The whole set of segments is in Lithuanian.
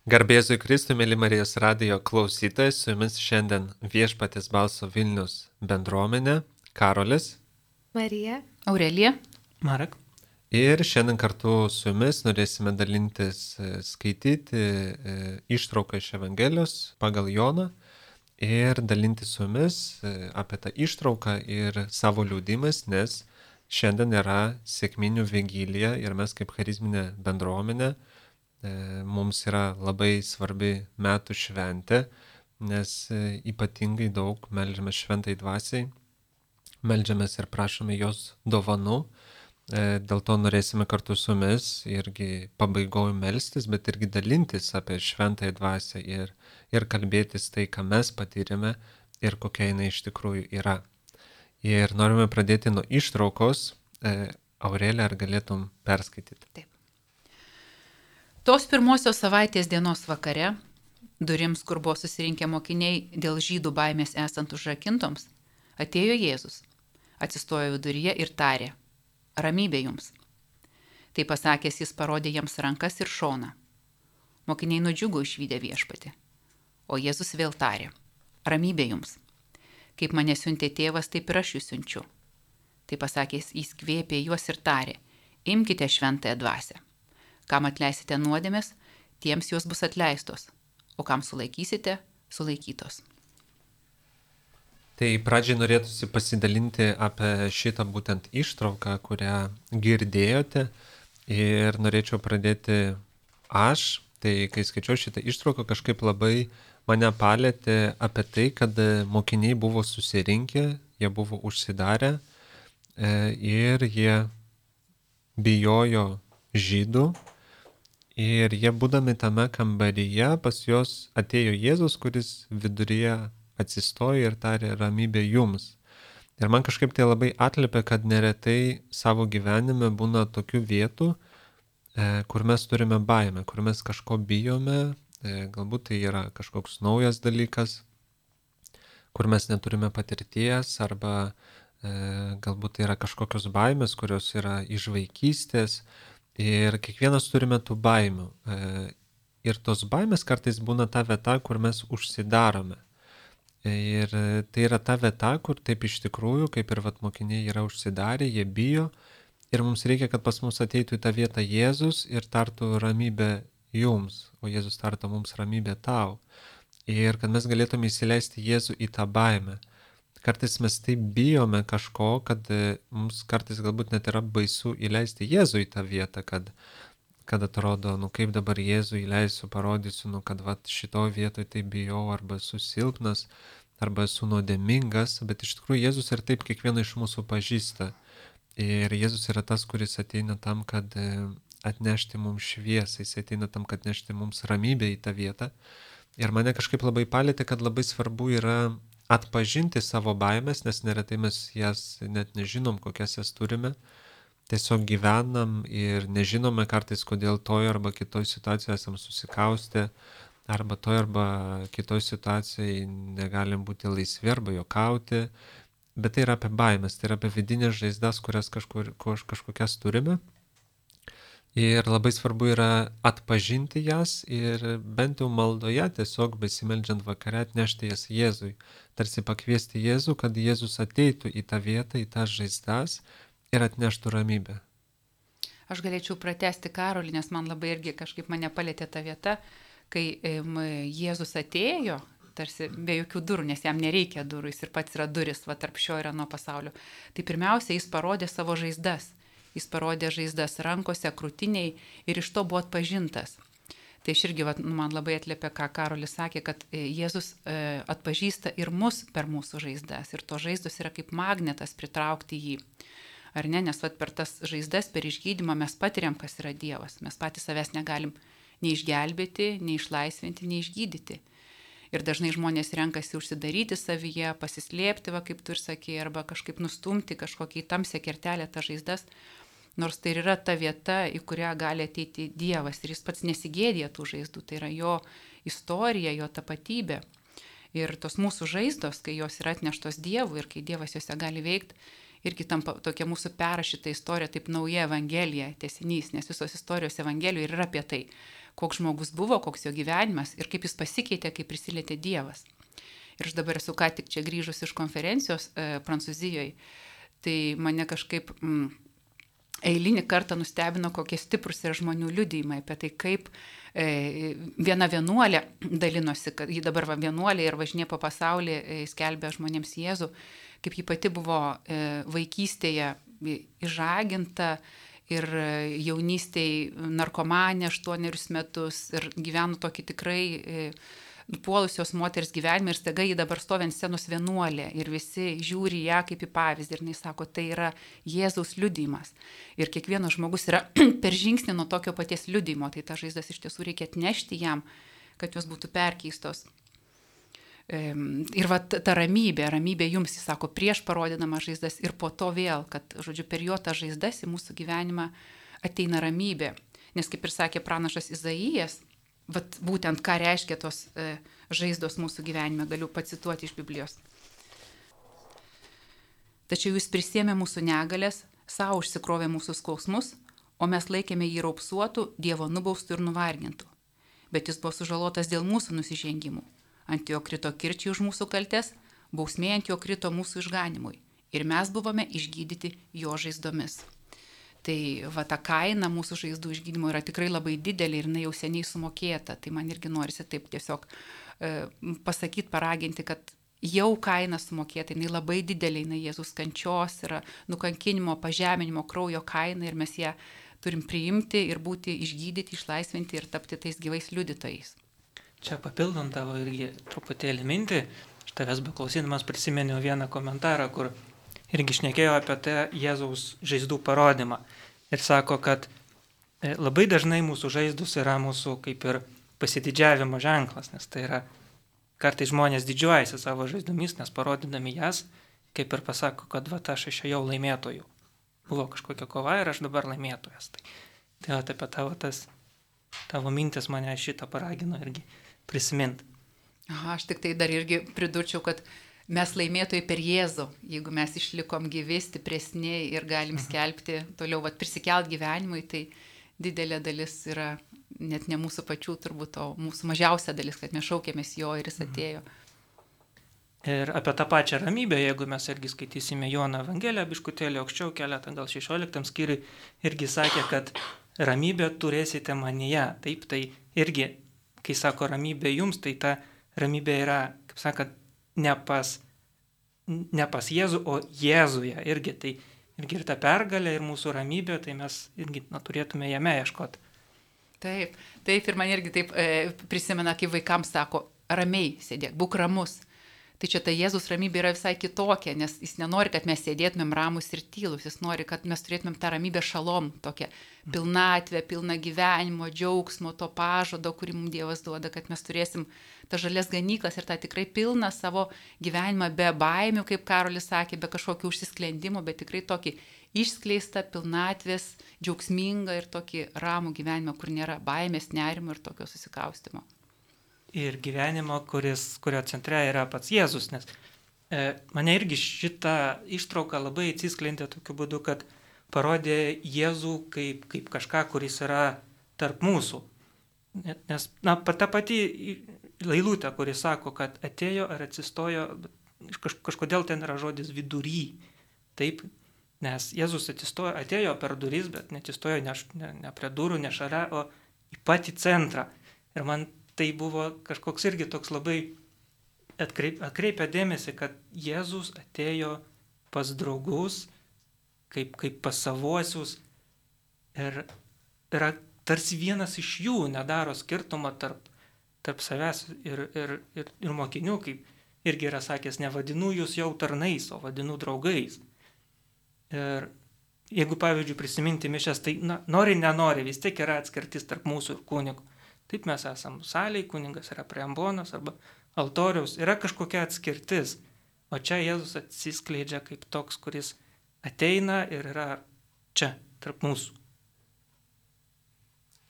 Garbėzui Kristui, mėly Marijos radijo klausytojai, su jumis šiandien Viešpaties balso Vilnius bendruomenė, Karolis. Marija. Aurelija. Marek. Ir šiandien kartu su jumis norėsime dalintis, skaityti ištrauką iš Evangelijos pagal Joną ir dalintis su jumis apie tą ištrauką ir savo liudimas, nes šiandien yra sekminių vigilija ir mes kaip charizminė bendruomenė mums yra labai svarbi metų šventė, nes ypatingai daug meldžiamės šventai dvasiai, meldžiamės ir prašome jos dovanų. Dėl to norėsime kartu su jumis irgi pabaigoju melstis, bet irgi dalintis apie šventąją dvasią ir kalbėtis tai, ką mes patyrėme ir kokia jinai iš tikrųjų yra. Ir norime pradėti nuo ištraukos. Aurelija, ar galėtum perskaityti? Taip. Tos pirmosios savaitės dienos vakare, durims, kur buvo susirinkę mokiniai dėl žydų baimės esant užrakintoms, atėjo Jėzus, atsistojo viduryje ir tarė: ramybė jums. Tai pasakęs, jis parodė jiems rankas ir šoną. Mokiniai nudžiugo išvydę Viešpatį. O Jėzus vėl tarė: ramybė jums. Kaip mane siuntė tėvas, taip ir aš jūs siunčiu. Tai pasakęs, jis kvėpė juos ir tarė: imkite šventąją dvasią. Kam atleisite nuodėmes, tiems jos bus atleistos, o kam sulaikysite, sulaikytos. Tai pradžiai norėtųsi pasidalinti apie šitą būtent ištrauką, kurią girdėjote, ir norėčiau pradėti aš. Tai kai skaičiau šitą ištrauką, kažkaip labai mane palėtė apie tai, kad mokiniai buvo susirinkę, jie buvo užsidarę ir jie bijojo žydų. Ir jie būdami tame kambaryje, pas juos atėjo Jėzus, kuris viduryje atsistojo ir tarė: ramybė jums. Ir man kažkaip tai labai atliepia, kad neretai savo gyvenime būna tokių vietų, kur mes turime baimę, kur mes kažko bijome, galbūt tai yra kažkoks naujas dalykas, kur mes neturime patirties, arba galbūt tai yra kažkokios baimės, kurios yra iš vaikystės. Ir kiekvienas turime tų baimių. Ir tos baimės kartais būna ta vieta, kur mes užsidarome. Ir tai yra ta vieta, kur taip iš tikrųjų, kaip ir mokiniai yra užsidarę, jie bijo. Ir mums reikia, kad pas mus ateitų į tą vietą Jėzus ir tartų ramybę jums, o Jėzus tartų mums ramybę tau. Ir kad mes galėtume įsileisti Jėzų į tą baimę. Kartais mes taip bijome kažko, kad mums kartais galbūt net yra baisu įleisti Jėzų į tą vietą, kad atrodo, kaip dabar Jėzų įleisiu, parodysiu, kad šitoj vietoje taip bijau, arba esu silpnas, arba esu nuodėmingas, bet iš tikrųjų Jėzus ir taip kiekvieną iš mūsų pažįsta. Ir Jėzus yra tas, kuris ateina tam, kad atnešti mums šviesą, jis ateina tam, kad atnešti mums ramybę į tą vietą. Ir mane kažkaip labai palėtė, kad labai svarbu yra atpažinti savo baimės, nes neretai mes jas net nežinom, kokias jas turime. Tiesiog gyvenam ir nežinome kartais, kodėl toj arba kitoj situacijoje esam susikaustę, arba toj arba kitoj situacijai negalim būti laisvi arba juokauti. Bet tai yra apie baimės, tai yra apie vidinės žaizdas, kurias kažkokias turime. Ir labai svarbu yra atpažinti jas ir bent jau maldoje, tiesiog besimeldžiant vakare, atnešti jas Jėzui. Tarsi pakviesti Jėzų, kad Jėzus ateitų į tą vietą, į tas žaizdas ir atneštų ramybę. Aš galėčiau pratesti Karolį, nes man labai irgi kažkaip mane palėtė ta vieta, kai Jėzus atėjo, tarsi be jokių durų, nes jam nereikia durų, jis ir pats yra duris, tarp šio ir ano pasaulio. Tai pirmiausia, jis parodė savo žaizdas. Jis parodė žaizdas rankose, krūtiniai ir iš to buvo atpažintas. Tai aš irgi man labai atliepia, ką Karolis sakė, kad Jėzus atpažįsta ir mus per mūsų žaizdas. Ir to žaizdos yra kaip magnetas pritraukti jį. Ar ne? Nes per tas žaizdas, per išgydymą mes patiriam, kas yra Dievas. Mes patys savęs negalim nei išgelbėti, nei išlaisvinti, nei išgydyti. Ir dažnai žmonės renkasi užsidaryti savyje, pasislėpti, kaip tu ir sakei, arba kažkaip nustumti kažkokį tamsią kertelę tą žaizdas. Nors tai yra ta vieta, į kurią gali ateiti Dievas ir jis pats nesigėdija tų žaizdų. Tai yra jo istorija, jo tapatybė. Ir tos mūsų žaizdos, kai jos yra atneštos Dievui ir kai Dievas jose gali veikti, irgi tampa tokia mūsų perrašyta istorija, taip nauja Evangelija, tęsinys, nes visos istorijos Evangelijų yra apie tai. koks žmogus buvo, koks jo gyvenimas ir kaip jis pasikeitė, kai prisilietė Dievas. Ir aš dabar esu ką tik čia grįžus iš konferencijos Prancūzijoje, tai mane kažkaip eilinį kartą nustebino, kokie stiprus yra žmonių liudijimai apie tai, kaip viena vienuolė dalinosi, kad ji dabar vienuolė ir važinė po pasaulį, skelbia žmonėms Jėzų, kaip ji pati buvo vaikystėje išžaginta ir jaunystėje narkomanė 8 metus ir gyveno tokį tikrai puolusios moters gyvenimą ir staiga ji dabar stovi ant scenos vienuolė ir visi žiūri ją kaip į pavyzdį ir jis sako, tai yra Jėzaus liudijimas. Ir kiekvienas žmogus yra per žingsnį nuo tokio paties liudijimo, tai ta žaizdas iš tiesų reikia atnešti jam, kad jos būtų perkeistos. Ir va ta ramybė jums, jis sako, prieš parodydama žaizdas ir po to vėl, kad, žodžiu, per jo tą žaizdas į mūsų gyvenimą ateina ramybė. Nes kaip ir sakė pranašas Izaijas, vat būtent ką reiškia tos žaizdos mūsų gyvenime, galiu pacituoti iš Biblijos. Tačiau jis prisėmė mūsų negalės, savo užsikrovė mūsų skausmus, o mes laikėme jį raupsuotų, Dievo nubaustų ir nuvargintų. Bet jis buvo sužalotas dėl mūsų nusižengimų. Ant jo krito kirčiai už mūsų kaltes, bausmė ant jo krito mūsų išganimui. Ir mes buvome išgydyti jo žaizdomis. Tai va ta kaina mūsų žaizdų išgydymo yra tikrai labai didelė ir jinai jau seniai sumokėta. Tai man irgi norisi taip tiesiog pasakyti, paraginti, kad jau kaina sumokėta, jinai labai didelė, jinai Jėzus kančios yra nukankinimo, pažeminimo, kraujo kaina ir mes ją turim priimti ir būti išgydyti, išlaisvinti ir tapti tais gyvais liudytojais. Čia papildant tavo irgi truputėlį mintį, aš tavęs beklausydamas prisiminiau vieną komentarą, kur irgi šnekėjo apie tą Jėzaus žaizdų parodymą. Ir sako, kad labai dažnai mūsų žaizdus yra mūsų kaip ir pasididžiavimo ženklas, nes tai yra, kartais žmonės didžiuojasi savo žaizdomis, nes parodydami jas, kaip ir pasako, kad va aš išėjau laimėtojų. Buvo kažkokia kova ir aš dabar laimėtojas. Tai apie tavo mintis mane šitą paragino irgi prisiminti. Aha, aš tik tai dar irgi pridurčiau, kad mes laimėtojai per Jėzų, jeigu mes išlikom gyvi, stipresni ir galim skelbti toliau, prisikelt gyvenimui, tai didelė dalis yra net ne mūsų pačių turbūt, o mūsų mažiausia dalis, kad mes šaukėmės jo ir jis atėjo. Ir apie tą pačią ramybę, jeigu mes irgi skaitysime Jono Evangeliją, biškutėlį aukščiau keletą, gal 16 skyriui, irgi sakė, kad ramybę turėsite manyje. Taip, tai irgi, kai sako ramybė jums, tai ta ramybė yra, kaip sakant, ne pas Jėzų, o Jėzuje irgi. Tai irgi ir ta pergalė, ir mūsų ramybė, tai mes irgi turėtume jame ieškoti. Taip, ir man irgi taip prisimena, kai vaikams sako, ramiai sėdėk, būk ramus. Tai čia ta Jėzus ramybė yra visai kitokia, nes jis nenori, kad mes sėdėtumėm ramus ir tylus, jis nori, kad mes turėtumėm tą ramybę šalom, tokią pilnatvę, pilną gyvenimo, džiaugsmo, to pažado, kurį mums Dievas duoda, kad mes turėsim tą žalias ganyklas ir tą tikrai pilną savo gyvenimą be baimių, kaip Karolis sakė, be kažkokių užsisklendimų, bet tikrai tokį išskleistą pilnatvės, džiaugsmingą ir tokį ramų gyvenimą, kur nėra baimės, nerimo ir tokio susikaustimo. Ir gyvenimo, kurio centre yra pats Jėzus, nes mane irgi šitą ištrauką labai atsisklendė tokiu būdu, kad parodė Jėzų kaip kažką, kuris yra tarp mūsų. Nes ta pati eilutė, kuris sako, kad atėjo ar atsistojo, kažkodėl ten yra žodis vidury. Taip, nes Jėzus atėjo per duris, bet neatsistojo ne prie durų, ne šalia, o į patį centrą. Ir man tai buvo kažkoks irgi toks labai atkreipia dėmesį, kad Jėzus atėjo pas draugus, kaip pas savuosius ir yra tarsi vienas iš jų, nedaro skirtumą tarp savęs ir mokinių, kaip irgi yra sakęs, nevadinu jūs jau tarnais, o vadinu draugais. Ir jeigu, pavyzdžiui, prisiminti mišias, tai nori, nenori, vis tiek yra atskirtis tarp mūsų ir kunigų. Taip mes esam salėj, kuningas yra prie ambonos arba altoriaus, yra kažkokia atskirtis, o čia Jėzus atsiskleidžia kaip toks, kuris ateina ir yra čia, tarp mūsų.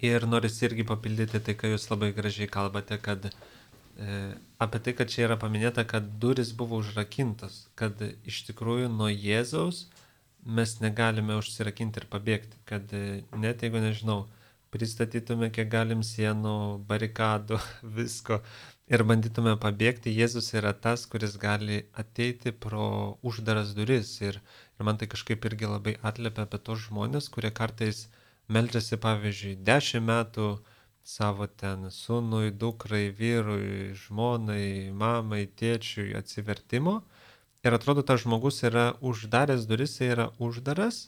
Ir norisi irgi papildyti tai, ką jūs labai gražiai kalbate, kad apie tai, kad čia yra paminėta, kad durys buvo užrakintos, kad iš tikrųjų nuo Jėzaus mes negalime užsirakinti ir pabėgti, kad net jeigu, nežinau, pristatytume kiek galim sienų, barikadų, visko ir bandytume pabėgti. Jėzus yra tas, kuris gali ateiti pro uždaras duris ir man tai kažkaip irgi labai atliepia apie tos žmonės, kurie kartais meldžiasi, pavyzdžiui, 10 metų savo ten sūnui, dukrai, vyrui, žmonai, mamai, tėčiui atsivertimo. Ir atrodo, tas žmogus yra uždaręs duris, jis yra uždaras,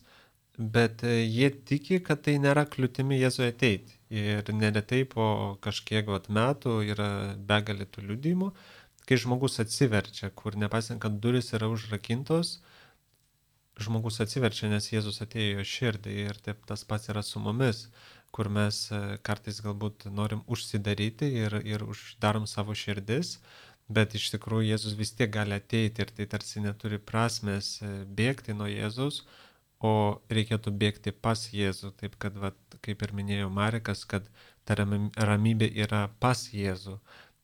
bet jie tiki, kad tai nėra kliūtimi Jėzui ateiti. Ir neretai po kažkiek metų yra begalė tų liudijimų, kai žmogus atsiverčia, kur nepasiant, kad duris yra užrakintos, žmogus atsiverčia, nes Jėzus atėjo į širdį ir taip tas pats yra su mumis, kur mes kartais galbūt norim užsidaryti ir uždarom savo širdis, bet iš tikrųjų Jėzus vis tiek gali ateiti ir tai tarsi neturi prasmės bėgti nuo Jėzus, o reikėtų bėgti pas Jėzų, taip kad, kaip ir minėjo Marekas, kad ta ramybė yra pas Jėzų.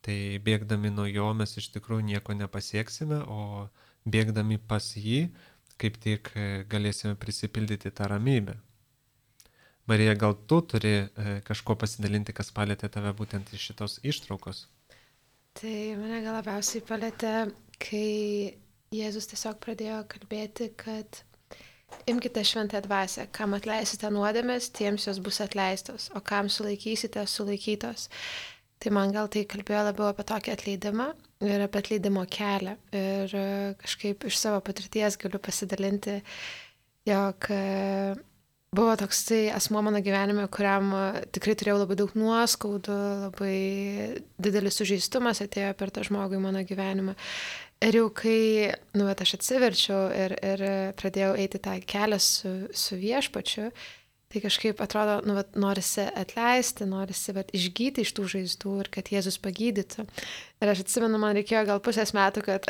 Tai bėgdami nuo jo mes iš tikrųjų nieko nepasieksime, o bėgdami pas jį, kaip tik galėsime prisipildyti tą ramybę. Marija, gal tu turi kažko pasidalinti, kas palėtė tave būtent iš šitos ištraukos? Tai mane gal labiausiai palėtė, kai Jėzus tiesiog pradėjo kalbėti, kad imkite šventąją dvasią, kam atleisite nuodėmes, tiems jos bus atleistos, o kam sulaikysite, sulaikytos. Tai man gal tai kalbėjo labiau apie tokį atleidimą ir apie atleidimo kelią. Ir kažkaip iš savo patirties galiu pasidalinti, jog buvo toks tai asmuo mano gyvenime, kuriam tikrai turėjau labai daug nuoskaudų, labai didelis sužeistumas atėjo per tą žmogų į mano gyvenimą. Ir jau kai aš atsiverčiau ir pradėjau eiti tą kelią su viešpačiu, tai kažkaip atrodo, norisi atleisti, norisi išgyti iš tų žaizdų ir kad Jėzus pagydytų. Ir aš atsimenu, man reikėjo gal 1,5 metų, kad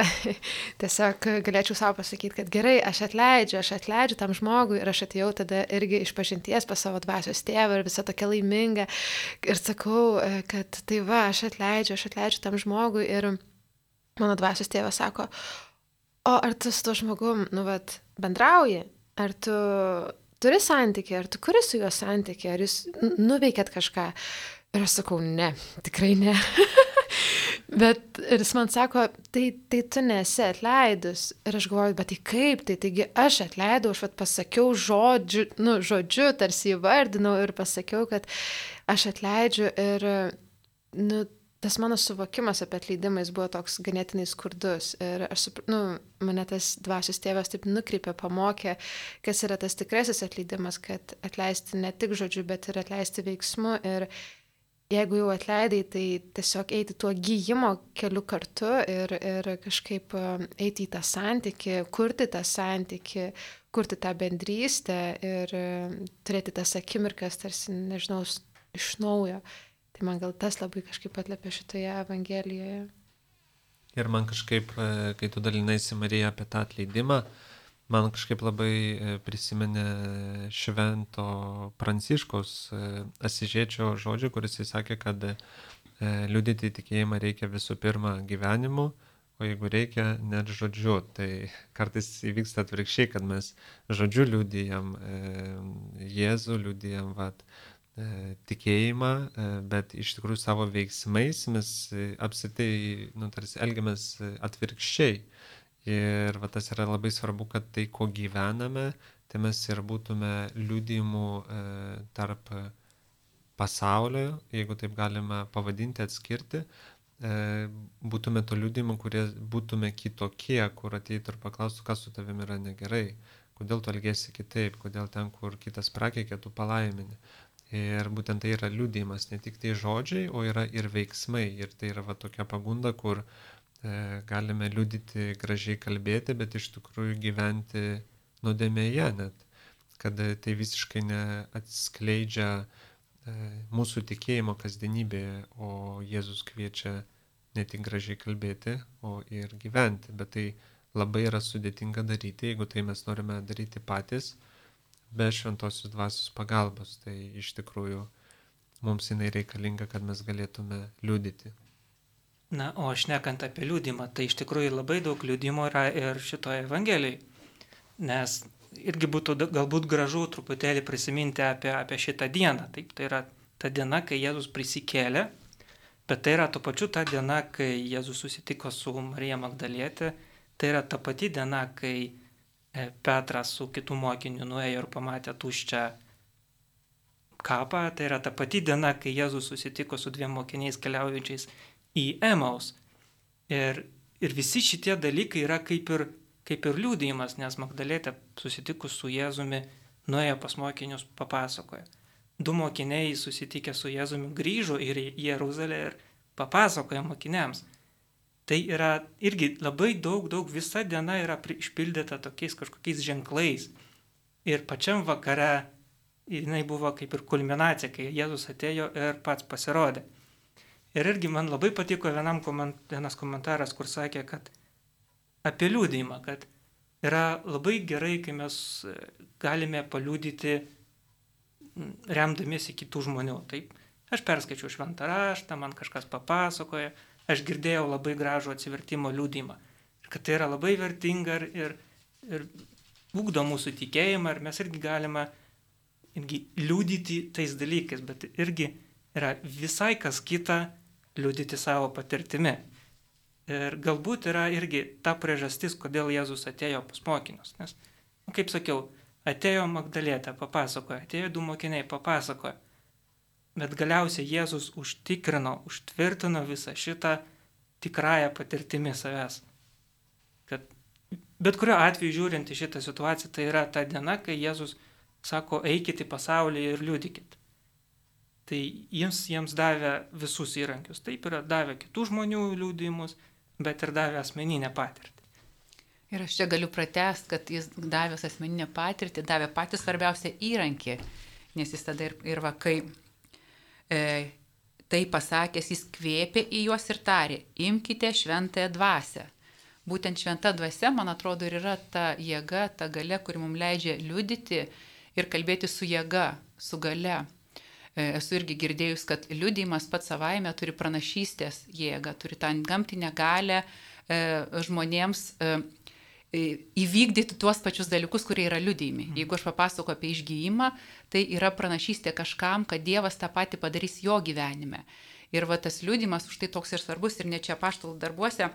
tiesiog galėčiau savo pasakyti, kad gerai, aš atleidžiu tam žmogui ir aš atėjau tada irgi iš pažinties pas savo dvasios tėvą ir visa tokia laiminga. Ir sakau, kad tai aš atleidžiu tam žmogui ir mano dvasios tėvas sako, o ar tu su to žmogum, bendrauji, ar tu turi santykį, ar tu kuri su juo santykį, ar jūs nuveikėt kažką. Ir aš sakau, ne, tikrai ne. Bet ir jis man sako, tai tu nesi atleidus. Ir aš galvoju, bet tai kaip, taigi aš atleidau, aš pasakiau žodžiu, tarsi įvardinau ir pasakiau, kad aš atleidžiu ir, tas mano suvokimas apie atleidimą jis buvo toks ganėtinai skurdus ir mane tas dvasios tėvas taip nukreipė, pamokė, kas yra tas tikrasis atleidimas, kad atleisti ne tik žodžiu, bet ir atleisti veiksmu ir jeigu jau atleidai, tai tiesiog eiti tuo gyjimo keliu kartu ir kažkaip eiti į tą santykį, kurti tą santykį, kurti tą bendrystę ir turėti tas akimirkas, tarsi, nežinau, iš naujo. Tai man gal tas labai kažkaip atliepia šitoje Evangelijoje. Ir man kažkaip, kai tu dalinaisi, Marija, apie tą atleidimą, man kažkaip labai prisiminė Švento Pranciškaus Asižiečio žodžių, kuris įsakė, kad liudyti tikėjimą reikia visų pirma gyvenimu, o jeigu reikia, net žodžiu. Tai kartais įvyksta atvirkščiai, kad mes žodžiu liudijam Jėzų, liudijam tikėjimą, bet iš tikrųjų savo veiksmais mes apsitai, tarsi elgiamės atvirkščiai. Ir tas yra labai svarbu, kad tai, ko gyvename, tai mes ir būtume liudijimų tarp pasaulio, jeigu taip galime pavadinti, atskirti, būtume to liudijimų, kurie būtume kitokie, kur ateitų ir paklaustų, kas su tavimi yra negerai, kodėl tu elgiesi kitaip, kodėl ten, kur kitas prakeikė, tu palaimini. Ir būtent tai yra liudijimas, ne tik tai žodžiai, o yra ir veiksmai. Ir tai yra tokia pagunda, kur galime liudyti, gražiai kalbėti, bet iš tikrųjų gyventi nuodėmėje net. Kad tai visiškai neatskleidžia mūsų tikėjimo kasdienybėje, o Jėzus kviečia ne tik gražiai kalbėti, o ir gyventi. Bet tai labai yra sudėtinga daryti, jeigu tai mes norime daryti patys, be šventosios dvasios pagalbos. Tai iš tikrųjų mums jinai reikalinga, kad mes galėtume liudyti. Na, o šnekant apie liudymą, tai iš tikrųjų labai daug liudimo yra ir šitoje Evangelijoje. Nes irgi būtų galbūt gražu truputėlį prisiminti apie šitą dieną. Taip, tai yra ta diena, kai Jėzus prisikėlė, bet tai yra tuo pačiu ta diena, kai Jėzus susitiko su Marija Magdalietė, tai yra ta pati diena, kai Petras su kitų mokiniu nuėjo ir pamatė tuščią kapą, tai yra ta pati diena, kai Jėzus susitiko su 2 mokiniais keliaujančiais į Emaus. Ir visi šitie dalykai yra kaip ir liudijimas, nes Magdalietė susitikus su Jėzumi nuėjo pas mokinius, papasakojo. 2 mokiniai susitikę su Jėzumi grįžo į Jeruzalę ir papasakojo mokiniams. Tai yra irgi labai daug, visa diena yra išpildyta tokiais kažkokiais ženklais. Ir pačiam vakare jinai buvo kaip ir kulminacija, kai Jėzus atėjo ir pats pasirodė. Ir irgi man labai patiko vienas komentaras, kur sakė, kad apie liūdėjimą, kad yra labai gerai, kai mes galime paliūdyti remdamiesi kitų žmonių. Taip, aš perskaičiau šventą raštą, man kažkas papasakoja, aš girdėjau labai gražų atsivertimo liūdėjimą. Ir kad tai yra labai vertinga ir ugdo mūsų tikėjimą, ir mes irgi galime liūdyti tais dalykais, bet irgi yra visai kas kita liūdyti savo patirtimi. Ir galbūt yra irgi ta priežastis, kodėl Jėzus atėjo pas mokinius. Nes, kaip sakiau, atėjo Magdalietė, papasakojo, atėjo 2 mokiniai, papasakojo. Bet galiausiai Jėzus užtvirtino visą šitą tikrąją patirtimį savęs. Kad bet kuriuo atveju žiūrint į šitą situaciją, tai yra ta diena, kai Jėzus sako, eikit į pasaulį ir liudykit. Tai jiems davė visus įrankius. Taip yra davė kitų žmonių liudijimus, bet ir davė asmeninę patirtį. Ir aš čia galiu pratęsti, kad jis davęs asmeninę patirtį, davė patį svarbiausią įrankį, nes jis tada ir kai tai pasakęs, jis kvėpė į juos ir tarė, imkite šventąją dvasią. Būtent šventa dvasia, man atrodo, ir yra ta jėga, ta galia, kuri mums leidžia liudyti ir kalbėti su jėga, su galia. Esu irgi girdėjus, kad liudijimas pats savaime turi pranašystės jėgą, turi tą gamtinę galę žmonėms įvykdyti tuos pačius dalykus, kurie yra liudijimi. Jeigu aš papasakau apie išgijimą, tai yra pranašystė kažkam, kad Dievas tą patį padarys jo gyvenime. Ir va tas liudijimas už tai toks ir svarbus, ir ne čia apaštalų darbuose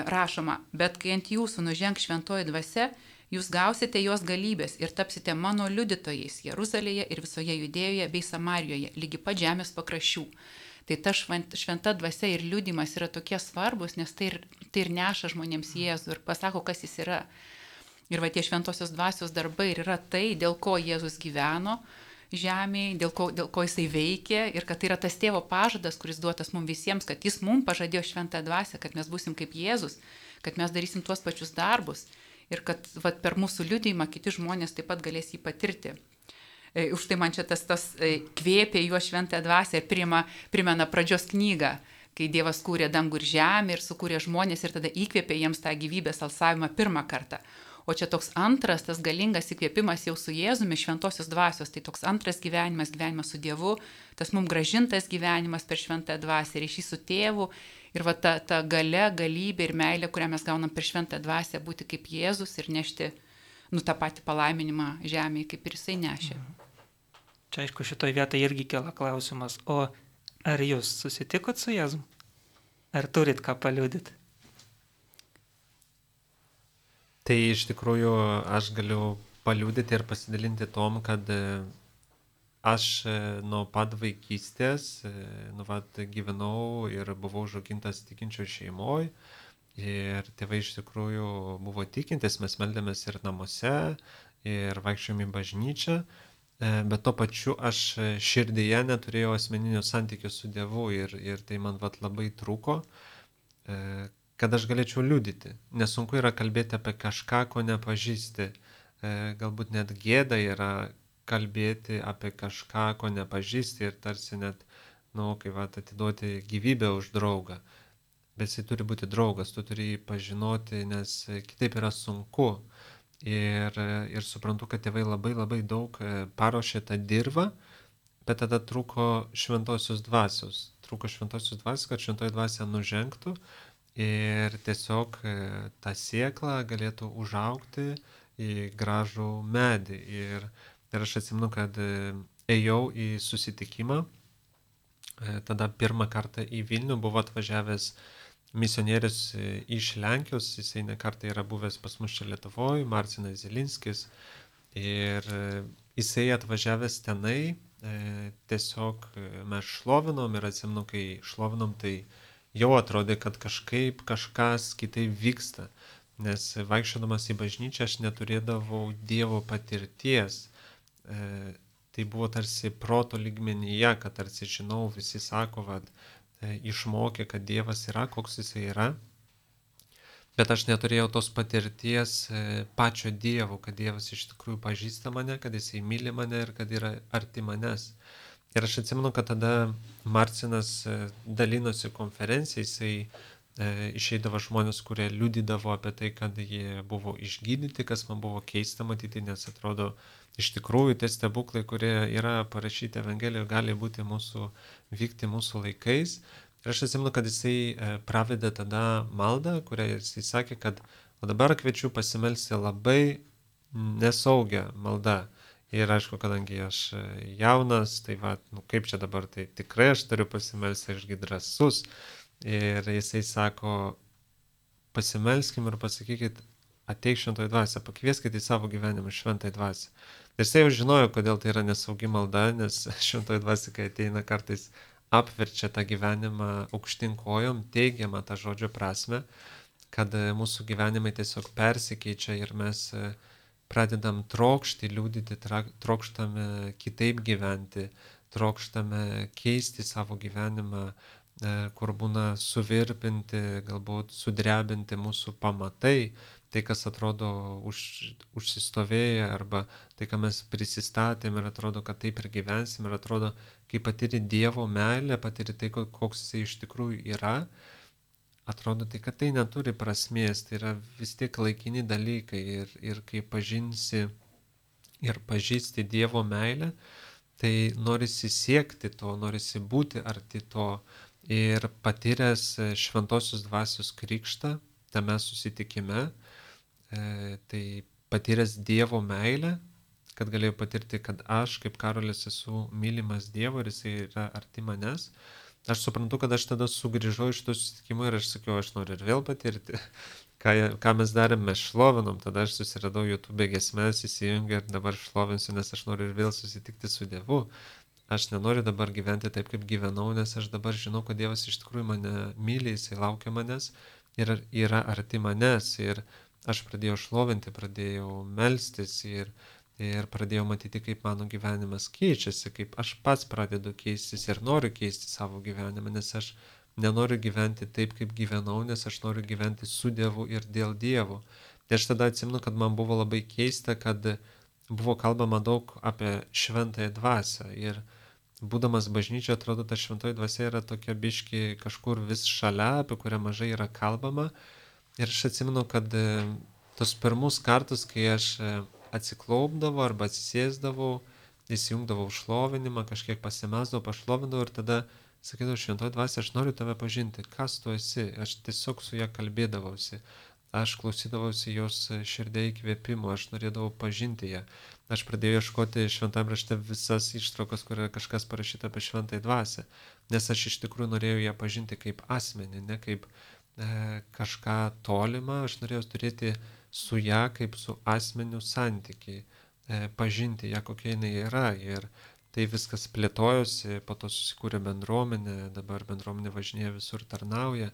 rašoma, bet kai ant jūsų nužengs šventoji dvasia, jūs gausite jos galybės ir tapsite mano liudytojais Jeruzalėje ir visoje Judėjoje bei Samarijoje, lygi pat žemės pakraščių. Tai ta šventa dvasia ir liudijimas yra tokie svarbus, nes tai ir neša žmonėms Jėzų ir pasako, kas jis yra. Ir va tie šventosios dvasios darbai ir yra tai, dėl ko Jėzus gyveno žemėje, dėl ko jisai veikė, ir kad tai yra tas tėvo pažadas, kuris duotas mums visiems, kad jis mums pažadėjo šventą dvasią, kad mes būsim kaip Jėzus, kad mes darysim tuos pačius darbus. Ir kad per mūsų liudijimą kiti žmonės taip pat galės jį patirti. Už tai man čia tas kvėpė juos šventą dvasią ir primena pradžios knygą, kai Dievas kūrė dangų ir žemę ir sukūrė žmonės ir tada įkvėpė jiems tą gyvybės alsavimą pirmą kartą. O čia toks antras, tas galingas įkvėpimas jau su Jėzumi, šventosios dvasios, tai toks antras gyvenimas su Dievu, tas mums gražintas gyvenimas per šventą dvasią, ryšys su tėvu. Ir va ta galia, galybė ir meilė, kurią mes gaunam per šventą dvasią, būti kaip Jėzus ir nešti tą patį palaiminimą žemėje, kaip ir jisai nešė. Čia aišku, šitoje vietoje irgi kela klausimas, o ar jūs susitikot su Jėzum? Ar turit ką paliudyti? Tai iš tikrųjų aš galiu paliudyti ir pasidalinti tom, kad aš nuo pat vaikystės gyvenau ir buvau užaugintas tikinčioj šeimoje ir tėvai iš tikrųjų buvo tikintis, mes meldėmės ir namuose, ir vaikščiojom į bažnyčią, bet tuo pačiu aš širdyje neturėjau asmeninio santykio su Dievu ir tai man labai trūko, kad aš galėčiau liudyti. Nesunku yra kalbėti apie kažką, ko nepažįsti, galbūt net gėda yra kalbėti apie kažką, ko nepažįsti ir tarsi net, atiduoti gyvybę už draugą. Bet jisai turi būti draugas, tu turi jį pažinoti, nes kitaip yra sunku. Ir suprantu, kad tėvai labai daug paruošė tą dirvą, bet tada trūko šventosios dvasios. Kad šventoji dvasia nužengtų ir tiesiog tą sėklą galėtų užaugti į gražų medį. Ir aš atsimenu, kad ėjau į susitikimą tada pirmą kartą į Vilnių buvo atvažiavęs misionierius iš Lenkijos, jisai ne kartą yra buvęs pas mus čia Lietuvoje, Marcinas Zilinskis. Ir jisai atvažiavęs tenai, tiesiog mes šlovinom ir atsimenu, kai šlovinom, tai jau atrodė, kad kažkaip kažkas kitaip vyksta. Nes vaikščiodamas į bažnyčią aš neturėdavau Dievo patirties. Tai buvo tarsi proto lygmenyje, kad tarsi žinau, visi sako, kad išmokė, kad Dievas yra, koks jisai yra. Bet aš neturėjau tos patirties pačio Dievo, kad Dievas iš tikrųjų pažįsta mane, kad jisai myli mane ir kad yra arti manęs. Ir aš atsimenu, kad tada Marcinas dalinosi konferenciją, jisai išeidavo žmonės, kurie liudydavo apie tai, kad jie buvo išgydyti, kas man buvo keista matyti, nes atrodo, iš tikrųjų tie stebuklai, kurie yra parašyti Evangelijoje, gali būti vykti mūsų laikais. Ir aš atsimenu, kad jisai pravedė tada maldą, kurią jisai sakė, kad o dabar kviečiu pasimelsti labai nesaugią maldą. Ir aišku, kadangi aš jaunas, tai va, kaip čia dabar, tai tikrai aš turiu pasimelsti, ašgi drąsus. Ir jisai sako, pasimelskim ir pasakykit, ateik šventoji dvasia, pakvieskit į savo gyvenimą šventoji dvasia. Ir jisai jau žinojo, kodėl tai yra nesaugi malda, nes šventoji dvasia, kai ateina, kartais apverčia tą gyvenimą aukštyn kojom, teigiamą tą žodžio prasme, kad mūsų gyvenimai tiesiog persikeičia ir mes pradedam trokšti, liūdyti, trokštame kitaip gyventi, trokštame keisti savo gyvenimą, kur būna suvirpinti, galbūt sudrebinti mūsų pamatai, tai kas atrodo užsistovėję arba tai, ką mes prisistatėm ir atrodo, kad taip ir gyvensim ir atrodo, kai patiri Dievo meilę, patiri tai, koks jisai iš tikrųjų yra, atrodo tai, kad tai neturi prasmės, tai yra vis tiek laikini dalykai ir kai pažinsi ir pažįsti Dievo meilę, tai norisi siekti to, norisi būti arti to ir patyręs šventosios dvasios krikštą tame susitikime, tai patyręs Dievo meilę, kad galėjau patirti, kad aš kaip Karolis esu mylimas Dievo ir jisai yra arti manęs. Aš suprantu, kad aš tada sugrįžau iš to susitikimo ir aš sakiau, aš noriu ir vėl patirti. Ką mes darėm, mes šlovinom, tada aš susiradau YouTube giesmes, įsijungę ir dabar šlovinsiu, nes aš noriu ir vėl susitikti su Dievu. Aš nenoriu dabar gyventi taip, kaip gyvenau, nes aš dabar žinau, kad Dievas iš tikrųjų mane myli, jisai laukia manęs ir yra arti manęs. Ir aš pradėjau šlovinti, pradėjau melstis ir pradėjau matyti, kaip mano gyvenimas keičiasi, kaip aš pats pradedu keistis ir noriu keisti savo gyvenimą, nes aš nenoriu gyventi taip, kaip gyvenau, nes aš noriu gyventi su Dievu ir dėl Dievo. Tai aš tada atsimenu, kad man buvo labai keista, kad buvo kalbama daug apie šventąją dvasią ir būdamas bažnyčioje, atrodo, ta šventoji dvasia yra tokia biški kažkur vis šalia, apie kurią mažai yra kalbama. Ir aš atsimenu, kad tos pirmus kartus, kai aš atsiklaupdavau arba atsisėsdavau, įsijungdavau šlovinimą, kažkiek pasimesdavau, pašlovindavau ir tada sakydavau, šventoji dvasia, aš noriu tave pažinti, kas tu esi, aš tiesiog su ją kalbėdavausi. Aš klausydavausi jos širdė įkvėpimo, aš norėdavau pažinti ją. Aš pradėjau ieškoti šventame rašte visas ištraukas, kur yra kažkas parašyta apie šventąją dvasią, nes aš iš tikrųjų norėjau ją pažinti kaip asmenį, ne kaip kažką tolimą, aš norėjau turėti su ją kaip su asmeniu santykiai, pažinti ją, kokia jinai yra. Ir tai viskas plėtojosi, po to susikūrė bendruomenė, dabar bendruomenė važinėja visur, tarnauja.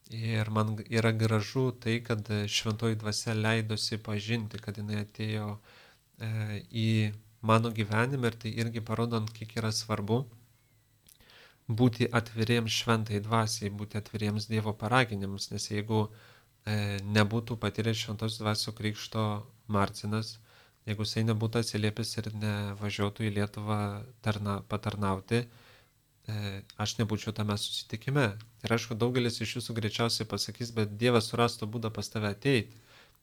Ir man yra gražu tai, kad šventoji dvasia leidosi pažinti, kad jinai atėjo į mano gyvenimą ir tai irgi parodant, kiek yra svarbu būti atviriems šventai dvasiai, būti atviriems Dievo paraginimams, nes jeigu nebūtų patyręs šventos dvasios krikšto Marcinas, jeigu jisai nebūtų atsiliepęs ir nevažiuotų į Lietuvą patarnauti, aš nebūčiau tame susitikime. Ir aišku, daugelis iš jūsų greičiausiai pasakys, bet Dievas surastų būdą pas tave ateiti.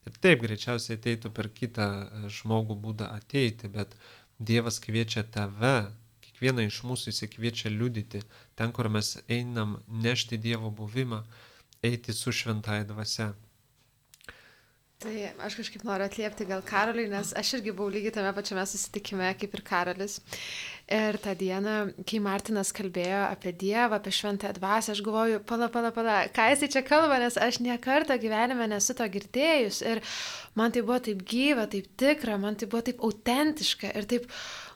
Ir taip, greičiausiai ateitų per kitą žmogų būdą ateiti, bet Dievas kviečia tave, kiekvieną iš mūsų jis kviečia liudyti, ten, kur mes einam nešti Dievo buvimą, eiti su šventąja dvasia. Tai aš kažkaip noriu atliepti gal Karoliui, nes aš irgi buvau lygiai tame pačiame susitikime kaip ir Karolis. Ir tą dieną, kai Martinas kalbėjo apie Dievą, apie šventąją dvasią, aš galvoju, pala, ką jisai čia kalba, nes aš niekartą gyvenime nesu to girdėjus. Ir man tai buvo taip gyva, taip tikra, man tai buvo taip autentiška ir taip...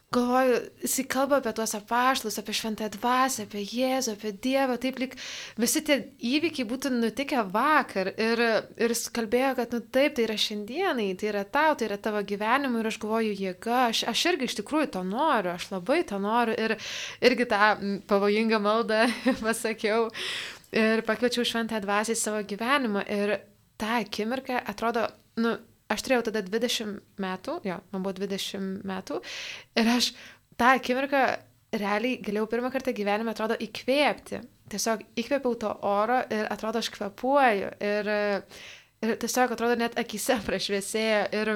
Galvoju, jisai kalba apie tuos apaštalus, apie šventąją dvasią, apie Jėzų, apie Dievą, taip lyg visi tie įvykiai būtų nutikę vakar. Ir jis kalbėjo, kad taip, tai yra šiandienai, tai yra tau, tai yra tavo gyvenimui. Ir aš galvoju, jėga, aš irgi iš tikrųjų to noriu, aš labai to noriu. Ir irgi tą pavojingą maldą pasakiau ir pakviečiau šventąją dvasią į savo gyvenimą. Ir tą akimirką atrodo, aš turėjau tada 20 metų, man buvo 20 metų ir aš tą akimirką realiai galėjau pirmą kartą gyvenime, atrodo, įkvėpti. Tiesiog įkvėpiau to oro ir atrodo, aš kvėpuoju ir tiesiog atrodo, net akyse prašviesėjo ir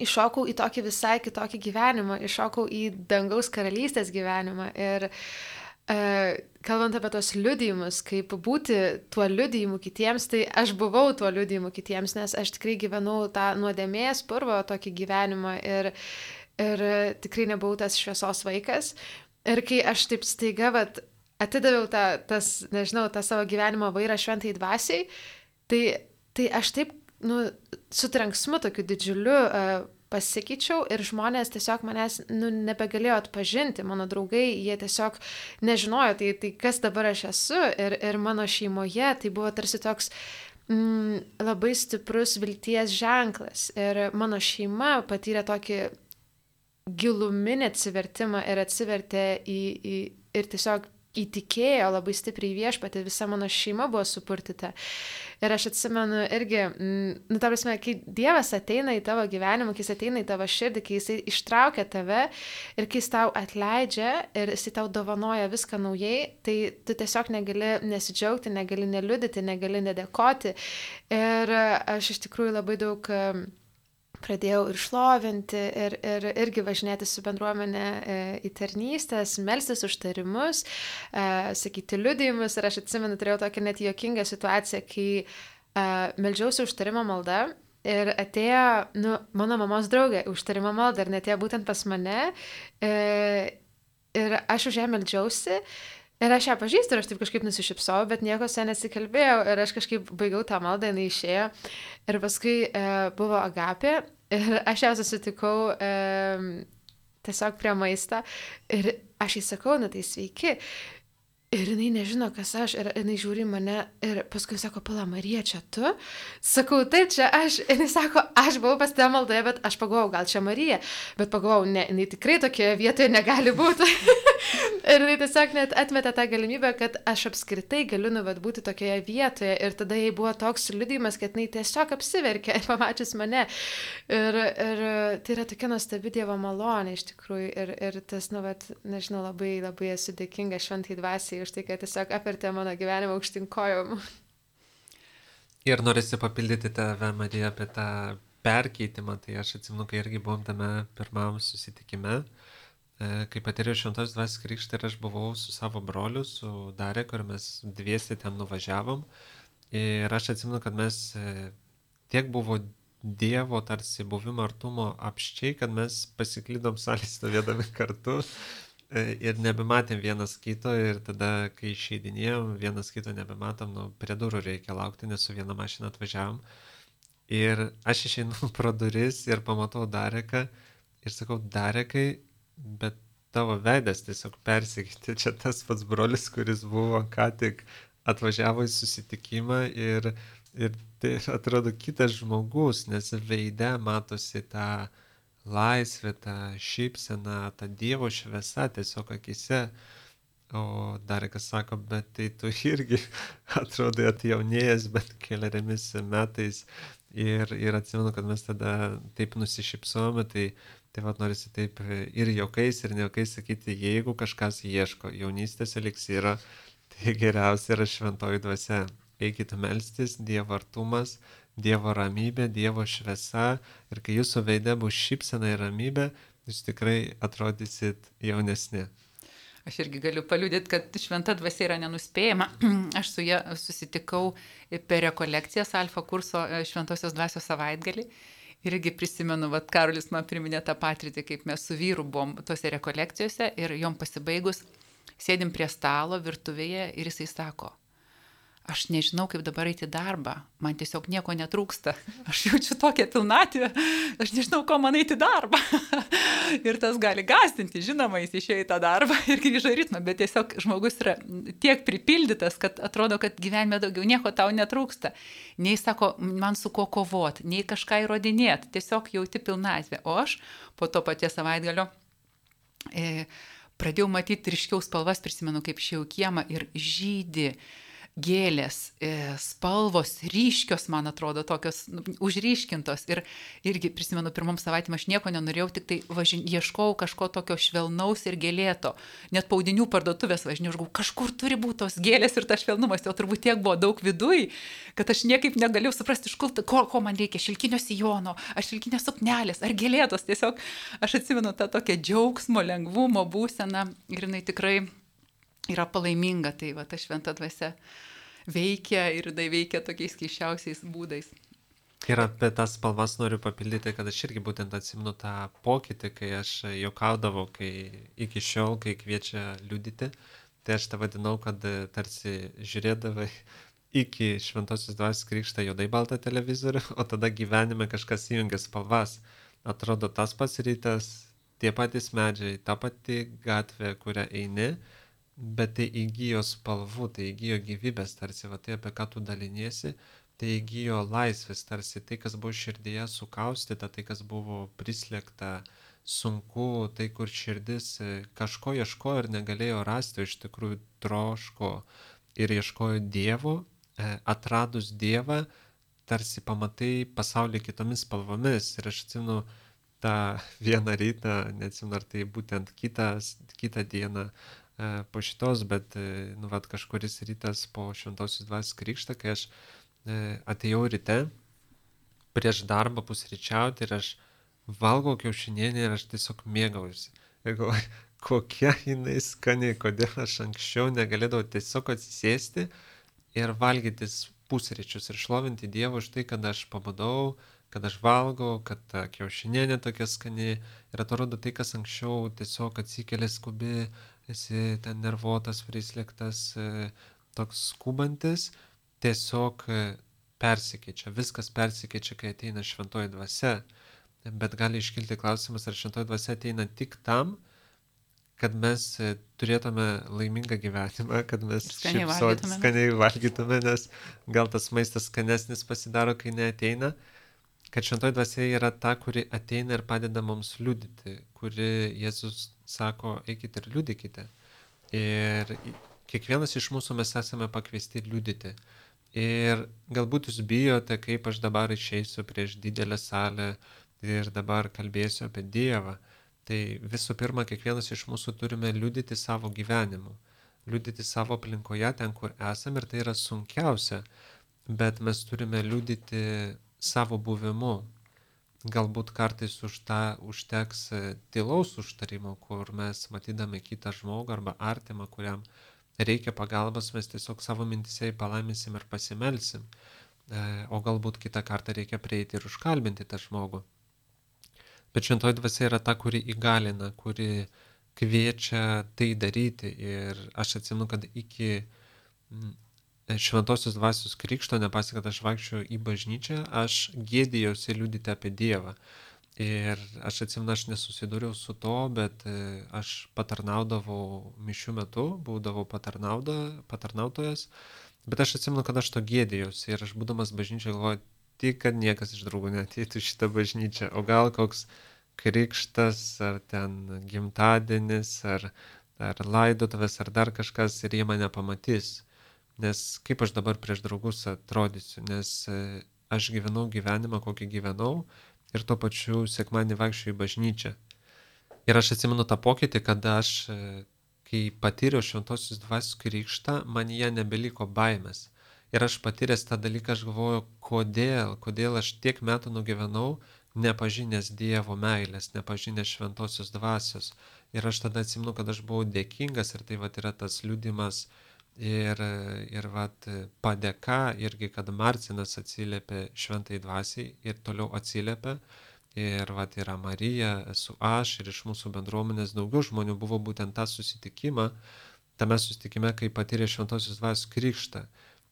iššokau į tokį visai kitokį gyvenimą, iššokau į dangaus karalystės gyvenimą ir kalbant apie tos liudijimus, kaip būti tuo liudijimu kitiems, tai aš buvau tuo liudijimu kitiems, nes aš tikrai gyvenau tą nuodėmės purvo tokį gyvenimą ir tikrai nebuvau tas šviesos vaikas. Ir kai aš taip staiga atidaviau tą savo gyvenimo vairą šventai dvasiai, tai aš taip su trenksmu tokiu didžiuliu pasikeičiau ir žmonės tiesiog manęs nebegalėjo atpažinti, mano draugai, jie tiesiog nežinojo, tai kas dabar aš esu ir mano šeimoje tai buvo tarsi toks labai stiprus vilties ženklas ir mano šeima patyrė tokį giluminį atsivertimą ir atsivertė ir tiesiog įtikėjo labai stipriai viešpatį, visa mano šeima buvo supurtyta. Ir aš atsimenu irgi, ta prasme, kai Dievas ateina į tavo gyvenimą, kai jis ateina į tavo širdį, kai jis ištraukia tave ir kai jis tau atleidžia ir jis tau dovanoja viską naujai, tai tu tiesiog negali nesidžiaugti, negali neliudyti, negali nedėkoti. Ir aš iš tikrųjų labai daug pradėjau ir šlovinti, ir irgi važinėti su bendruomenė į tarnystės, melstis užtarimus, sakyti liudijimus. Ir aš atsimenu, turėjau tokią net juokingą situaciją, kai meldžiausi užtarimo maldą ir atėjo mano mamos draugė užtarimo maldą ir net atėjo būtent pas mane ir aš už ją meldžiausi. Ir aš ją pažįstu ir aš taip kažkaip nusišypsau, bet nieko su ja nesikalbėjau ir aš kažkaip baigiau tą maldą, jinai išėjo. Ir paskui buvo Agapė ir aš ją susitikau tiesiog prie maisto ir aš jai sakau, tai sveiki. Ir jinai nežino, kas aš, ir jinai žiūri mane ir paskui sako, pala, Marija, čia tu? Sakau, taip, čia aš. Ir jinai sako, aš buvau pas tave maldoje, bet aš pagalvojau, gal čia Marija. Bet pagalvojau, ne, jinai tikrai tokioje vietoje negali būti. Ir jinai tiesiog net atmetė tą galimybę, kad aš apskritai galiu būti tokioje vietoje. Ir tada jai buvo toks liudijimas, kad jinai tiesiog apsiverkė pamačius mane. Ir tai yra tokia nuostabi Dievo malonė iš tikrųjų. Ir tas, nežinau, labai, labai esu dėkinga šventai dvasiai už tai, kad tiesiog apvertė mano gyvenimą aukštyn kojom. Ir norisi papildyti tave, Marija, apie tą perkeitimą. Tai aš atsimenu, kai irgi buvom tame pirmam susitikime, kai patyrėjau šventos dvasios krikštą ir aš buvau su savo broliu, su Dareku, ir mes dviesi ten nuvažiavom. Ir aš atsimenu, kad mes tiek buvo Dievo tarsi buvimo artumo apščiai, kad mes pasiklydom salėje stovėdami kartu. Ir nebematėm vienas kito ir tada, kai išeidinėjom, vienas kito nebematom, prie durų reikia laukti, nes su viena mašina atvažiavom. Ir aš išeinu pro duris ir pamatau Dareką ir sakau, Darekai, bet tavo veidas tiesiog persikeitė, čia tas pats brolis, kuris buvo ką tik atvažiavo į susitikimą ir tai atrodo kitas žmogus, nes veide matosi tą laisvė, ta šypsena, ta Dievo šviesa tiesiog akise. O Darekas sako, bet tai tu irgi atrodai atjaunėjęs, bet keleriamis metais. Ir atsimenu, kad mes tada taip nusišypsome, tai norisi taip ir juokais, ir nejuokais sakyti, jeigu kažkas ieško jaunystės eliksyro, tai geriausia yra šventoji dvasia. Eikite melstis, Dievo artumas, Dievo ramybė, Dievo šviesa, ir kai jūsų veide bus šypsena ir ramybė, jūs tikrai atrodysit jaunesni. Aš irgi galiu paliudyti, kad šventa dvasia yra nenuspėjama. Aš su ja susitikau per rekolekcijas Alfa kurso šventosios dvasios savaitgalį. Irgi prisimenu, vat Karolis man priminė tą patirtį, kaip mes su vyru buvom tose rekolekcijose ir jom pasibaigus sėdim prie stalo virtuvėje ir jisai sako, aš nežinau, kaip dabar eiti į darbą, man tiesiog nieko netrūksta, aš jaučiu tokią pilnatvę, aš nežinau, ko man eiti į darbą. Ir tas gali gąsdinti, žinoma, jis išėjo į tą darbą ir grįžo į ritmą, bet tiesiog žmogus yra tiek pripildytas, kad atrodo, kad gyvenime daugiau nieko tau netrūksta. Nei sako, man su ko kovoti, nei kažką įrodinėti, tiesiog jauti pilnatvę. O aš po to paties savaitgalio pradėjau matyti ryškiau spalvas, prisimenu, kaip išėjau į kiemą ir žydi gėlės, spalvos ryškios, man atrodo, tokios užryškintos. Ir irgi prisimenu, pirmom savaitėm aš nieko nenorėjau, tik tai ieškojau kažko tokio švelnaus ir gėlėto. Net paudinių parduotuvės važinėjau, kažkur turi būti tos gėlės ir tas švelnumas, jo turbūt tiek buvo daug viduj, kad aš niekaip negalėjau suprasti, ko man reikia, šilkinio sijono, ar šilkinės suknelės, ar gėlėtos. Tiesiog aš atsimenu tą tokią džiaugsmo, lengvumo būseną ir jinai tikrai yra palaiminga, tai va, ta šventa dvasia veikia ir tai veikia tokiais keiščiausiais būdais. Ir apie tas spalvas noriu papildyti, kad aš irgi būtent atsimenu tą pokytį, kai aš juokaudavau, kai iki šiol, kai kviečia liudyti, tai aš tą vadinau, kad tarsi žiūrėdavai iki šventosios dvasios krikštą juodai baltą televizorių, o tada gyvenime kažkas įjungia spalvas. Atrodo tas pats rytas, tie patys medžiai, ta pati gatvė, kurią eini, bet tai įgyjo spalvų, tai įgyjo gyvybės, tarsi, va tai apie ką tu daliniesi, tai įgyjo laisvės, tarsi tai, kas buvo širdyje sukaustyta, tai, kas buvo prislėgta, sunku, tai, kur širdis kažko ieškojo ir negalėjo rasti, iš tikrųjų troško ir ieškojo Dievo, atradus Dievą, tarsi pamatai pasaulį kitomis spalvomis. Ir aš atsimenu tą vieną rytą, neatsimenu, ar tai būtent kitą dieną, po šitos, bet kažkuris rytas po šventosios dvasios krikštą, kai aš atėjau ryte prieš darbą pusryčiauti ir aš valgau kiaušinienę ir aš tiesiog mėgaujuosi. Ir galvoju, kokia jinai skani, kodėl aš anksčiau negalėdavau tiesiog atsisėsti ir valgytis pusryčius ir šlovinti Dievą už tai, kad aš pabudau, kad aš valgau, kad ta kiaušinienė tokia skani ir atrodo tai, kas anksčiau tiesiog atsikėlė skubi, esi ten nervuotas, prislėgtas, toks skubantis, tiesiog persikeičia, viskas persikeičia, kai ateina šventoji dvasia, bet gali iškilti klausimas, ar šventoji dvasia ateina tik tam, kad mes turėtume laimingą gyvenimą, kad mes skaniai valgytume, nes gal tas maistas skanesnis pasidaro, kai neateina, kad šventoji dvasia yra ta, kuri ateina ir padeda mums liudyti, kuri Jėzus sako, eikite ir liudykite. Ir kiekvienas iš mūsų mes esame pakviesti liudyti. Ir galbūt jūs bijote, kaip aš dabar išeisiu prieš didelę salę ir dabar kalbėsiu apie Dievą. Tai visų pirma, kiekvienas iš mūsų turime liudyti savo gyvenimu, liudyti savo aplinkoje, ten, kur esame, ir tai yra sunkiausia, bet mes turime liudyti savo buvimu. Galbūt kartais už tą užteks tylaus užtarimo, kur mes matydami kitą žmogų arba artimą, kuriam reikia pagalbos, mes tiesiog savo mintise palaiminsim ir pasimelsim. O galbūt kitą kartą reikia prieiti ir užkalbinti tą žmogų. Bet šventoji dvasia yra ta, kuri įgalina, kuri kviečia tai daryti. Ir aš atsimenu, kad iki šventosios dvasios krikšto, nepasi, kad aš vaikščiau į bažnyčią, aš gėdijausi liudyti apie Dievą. Ir aš atsimenu, aš nesusidūriau su to, bet aš patarnaudavau mišių metu, būdavau patarnautojas, bet aš atsimenu, kad aš to gėdijausi ir aš būdamas bažnyčioje galvoju, tik kad niekas iš draugų neateitų šitą bažnyčią, o gal koks krikštas, ar ten gimtadienis, ar laidotuvės, ar dar kažkas ir jie mane pamatys. Nes kaip aš dabar prieš draugus atrodysiu, nes aš gyvenau gyvenimą, kokį gyvenau ir tuo pačiu sekmadienį vaikščiau į bažnyčią. Ir aš atsimenu tą pokytį, kad aš, kai patyriau šventosios dvasios krikštą, man jie nebeliko baimės. Ir aš patyręs tą dalyką, aš galvoju, kodėl aš tiek metų nugyvenau, nepažinęs Dievo meilės, nepažinęs šventosios dvasios. Ir aš tada atsimenu, kad aš buvau dėkingas ir tai vat yra tas liudimas ir vat padėka irgi, kad Marcinas atsiliepė šventai dvasiai ir toliau atsiliepė. Ir vat yra Marija, esu aš ir iš mūsų bendruomenės daugiau žmonių buvo būtent tą susitikimą, tame susitikime, kai patyrė šventosios dvasios krikštą.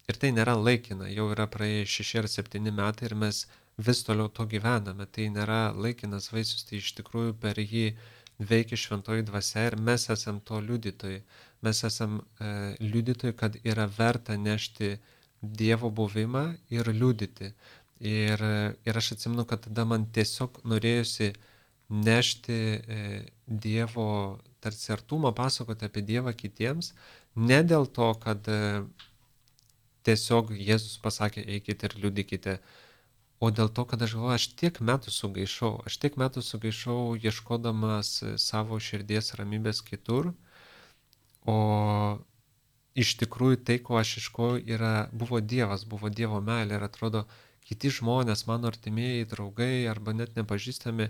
Ir tai nėra laikina, jau yra praėję 6 ar 7 metai ir mes vis toliau to gyvename. Tai nėra laikinas vaisius, tai iš tikrųjų per jį veikia šventoji dvasia ir mes esam to liudytojai. Mes esam liudytojai, kad yra verta nešti Dievo buvimą ir liudyti. Ir aš atsimenu, kad tada man tiesiog norėjusi nešti Dievo tarsi artumą, pasakoti apie Dievą kitiems, ne dėl to, kad tiesiog Jėzus pasakė eikite ir liudykite, o dėl to, kad aš galvoju, aš tiek metų sugaišau ieškodamas savo širdies ramybės kitur, o iš tikrųjų tai, ko aš ieškojau, buvo Dievas, buvo Dievo meilė ir atrodo, kiti žmonės, mano artimieji draugai arba net nepažįstami,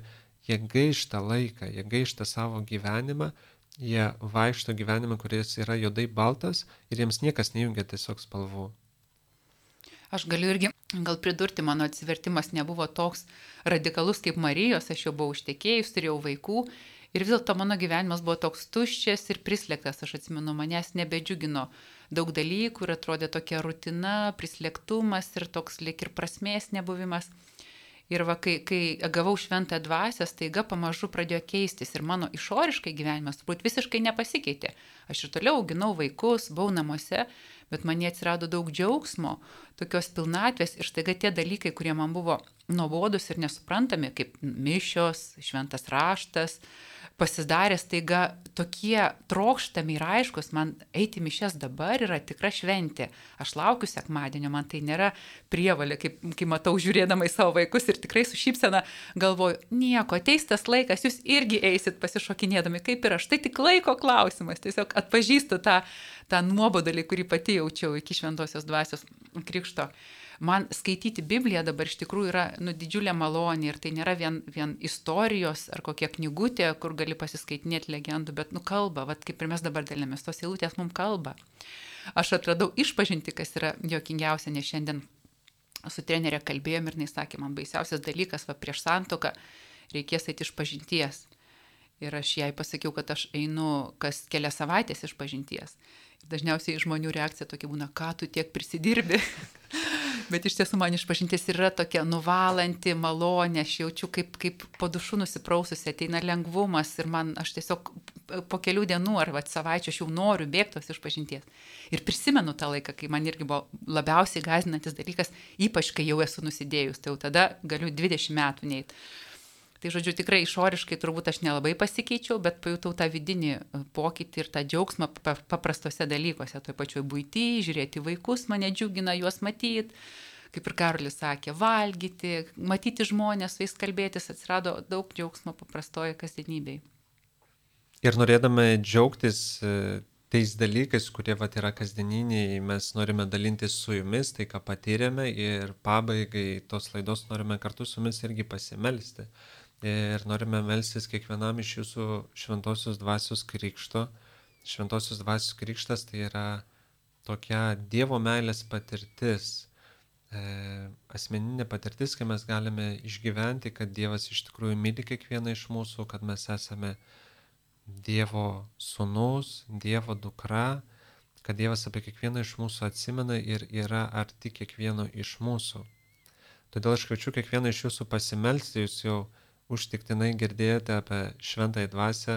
jie gaišta laiką, jie gaišta savo gyvenimą, jie vaikšto gyvenimą, kuris yra juodai baltas ir jiems niekas nejungia tiesiog spalvų. Aš galiu irgi gal pridurti, mano atsivertimas nebuvo toks radikalus kaip Marijos, aš jau buvau ištekėjus, turėjau vaikų ir vis dėlto mano gyvenimas buvo toks tuščias ir prislėgtas, aš atsimenu, manęs nebedžiugino daug dalykų ir atrodė tokia rutina, prislėgtumas ir toks lyg ir prasmės nebuvimas. Ir va, kai gavau šventą dvasią, staiga pamažu pradėjo keistis ir mano išoriškai gyvenimas turbūt visiškai nepasikeitė. Aš ir toliau auginau vaikus, buvau namuose, bet man atsirado daug džiaugsmo, tokios pilnatvės ir staiga tie dalykai, kurie man buvo nuobodus ir nesuprantami, kaip mišios, šventas raštas, pasidarė staiga tokie trokštami ir aiškus, man eiti mišias dabar yra tikra šventė. Aš laukiu sekmadienio, man tai nėra prievalė, kai matau žiūrėdama į savo vaikus ir tikrai su šypsena galvoju, nieko, ateis tas laikas, jūs irgi eisit pasišokinėdami, kaip ir aš. Tai tik laiko klausimas, tiesiog atpažįstu tą nuobodulį, kurį pati jaučiau iki šventosios dvasios krikšto. Man skaityti Bibliją dabar iš tikrųjų yra didžiulė malonė ir tai nėra vien istorijos ar kokia knygutė, kur gali pasiskaitinėti legendų, bet kalba, kaip ir mes dabar dalinamės, tos eilutės mums kalba. Aš atradau išpažinti, kas yra juokingiausia, nes šiandien su trenerė kalbėjom ir jis sakė, man baisiausias dalykas, prieš santuoką reikės eiti išpažinties. Ir aš jai pasakiau, kad aš einu kas kelias savaitės išpažinties. Ir dažniausiai žmonių reakcija tokia būna, ką tu tiek prisidirbi. Bet iš tiesų man išpažintis yra tokia nuvalanti, malonė, aš jaučiu kaip po dušu nusipraususi, ateina lengvumas ir aš tiesiog po kelių dienų ar savaičių aš jau noriu bėgtos išpažinties. Ir prisimenu tą laiką, kai man irgi buvo labiausiai gąsdinantis dalykas, ypač kai jau esu nusidėjus, tai jau tada galiu 20 metų neiti. Tai žodžiu, tikrai išoriškai turbūt aš nelabai pasikeičiau, bet pajutau tą vidinį pokytį ir tą džiaugsmą paprastose dalykuose, toj pačioj buity, žiūrėti vaikus, mane džiugina juos matyti, kaip ir Karolis sakė, valgyti, matyti žmonės, su jais kalbėtis, atsirado daug džiaugsmo paprastoje kasdienybėje. Ir norėdami džiaugtis tais dalykais, kurie yra kasdieniniai, mes norime dalintis su jumis, tai ką patyrėme ir pabaigai tos laidos norime kartu su jumis irgi pasimelsti. Ir norime melstis kiekvienam iš jūsų šventosios dvasios krikšto. Šventosios dvasios krikštas tai yra tokia Dievo meilės patirtis, asmeninė patirtis, kai mes galime išgyventi, kad Dievas iš tikrųjų myli kiekvieną iš mūsų, kad mes esame Dievo sūnus, Dievo dukra, kad Dievas apie kiekvieną iš mūsų atsimena ir yra arti kiekvieno iš mūsų. Todėl aš kviečiu kiekvieną iš jūsų pasimelsti, jūs jau užtiktinai girdėjote apie šventąją dvasią,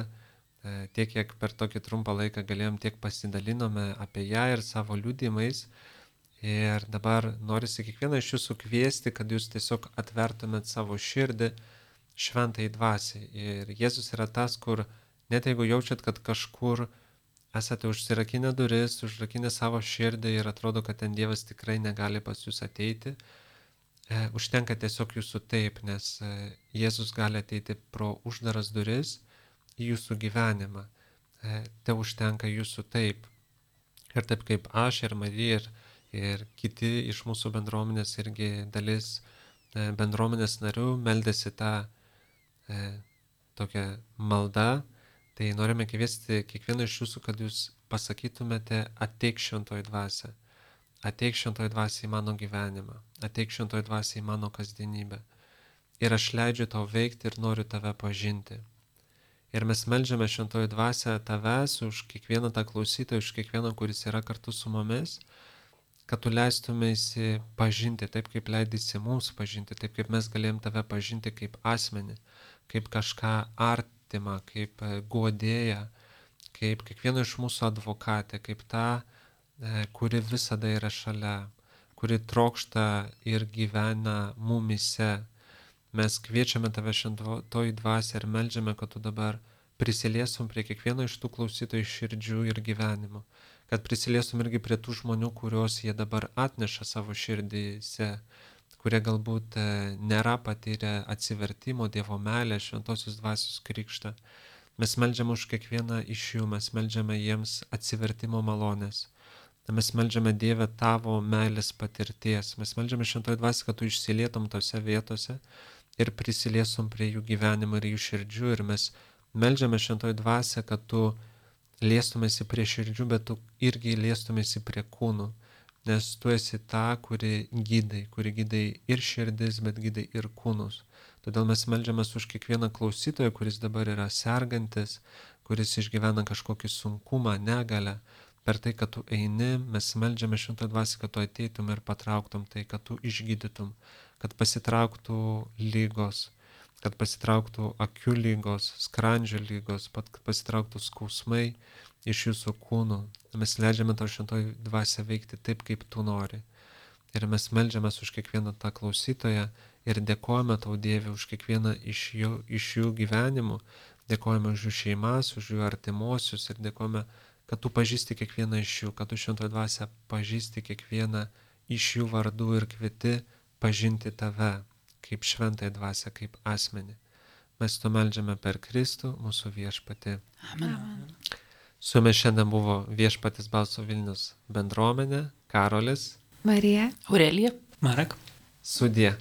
tiek kiek per tokį trumpą laiką galėjom, tiek pasidalinome apie ją ir savo liudijimais. Ir dabar norisi kiekvieną iš jūsų kviesti, kad jūs tiesiog atvertumėt savo širdį šventąjai dvasiai. Ir Jėzus yra tas, kur net jeigu jaučiat, kad kažkur esate užsirakinę duris, užrakinę savo širdį ir atrodo, kad ten Dievas tikrai negali pas jūs ateiti, užtenka tiesiog jūsų taip, nes Jėzus gali ateiti pro uždaras duris į jūsų gyvenimą. Te užtenka jūsų taip. Ir taip kaip aš ir Marija ir kiti iš mūsų bendruomenės irgi dalis bendruomenės narių meldėsi tą tokią maldą, Tai norime kviesti kiekvieną iš jūsų, kad jūs pasakytumėte ateik šventoji dvasia. Ateik šventoji dvasia į mano gyvenimą. Ateik šventoji dvasia į mano kasdienybę. Ir aš leidžiu tau veikti ir noriu tave pažinti. Ir mes meldžiame šventoji dvasia tavęs už kiekvieną tą klausytoją, už kiekvieną, kuris yra kartu su mumis, kad tu leistumėsi pažinti taip, kaip leidėsi mums pažinti, taip, kaip mes galėjom tave pažinti kaip asmenį, kaip kažką artimą, kaip guodėją, kaip kiekvieno iš mūsų advokatė, kaip ta, kuri visada yra šalia, kuri trokšta ir gyvena mumise. Mes kviečiame tave šventoji dvasia ir meldžiame, kad tu dabar prisiliestum prie kiekvieno iš tų klausytojų širdžių ir gyvenimo, kad prisiliestum irgi prie tų žmonių, kuriuos jie dabar atneša savo širdyse, kurie galbūt nėra patyrę atsivertimo, Dievo meilę, šventosios dvasios krikštą. Mes meldžiame už kiekvieną iš jų, mes meldžiame jiems atsivertimo malonės. Mes meldžiame Dieve tavo meilės patirties. Mes meldžiame šventoji dvasia, kad tu išsilietum tose vietose ir prisiliesum prie jų gyvenimo ir jų širdžių. Ir mes meldžiame šventoji dvasia, kad tu liestumėsi prie širdžių, bet tu irgi liestumėsi prie kūnų. Nes tu esi ta, kuri gydai ir širdis, bet gydai ir kūnus. Todėl mes meldžiame už kiekvieną klausytoją, kuris dabar yra sergantis, kuris išgyvena kažkokį sunkumą, negalę. Per tai, kad tu eini, mes meldžiame šventąją dvasią, kad tu ateitum ir patrauktum tai, kad tu išgydytum, kad pasitrauktų lygos, kad pasitrauktų akių lygos, skrandžio lygos, kad pasitrauktų skausmai iš jūsų kūnų. Mes leidžiame tau šventąją dvasią veikti taip, kaip tu nori. Ir mes meldžiame už kiekvieną tą klausytoją ir dėkojame tau, Dieve, už kiekvieną iš jų gyvenimų, dėkojame už jų šeimas, už jų artimuosius ir dėkojame, kad tu pažįsti kiekvieną iš jų, kad tu šventoji dvasia pažįsti kiekvieną iš jų vardų ir kvieti pažinti tave kaip šventąją dvasią, kaip asmenį. Mes to meldžiame per Kristų, mūsų viešpatį. Amen. Su jumis šiandien buvo Viešpatis Balso Vilnius bendruomenė, Karolis, Marija, Aurelija. Marek. sudie.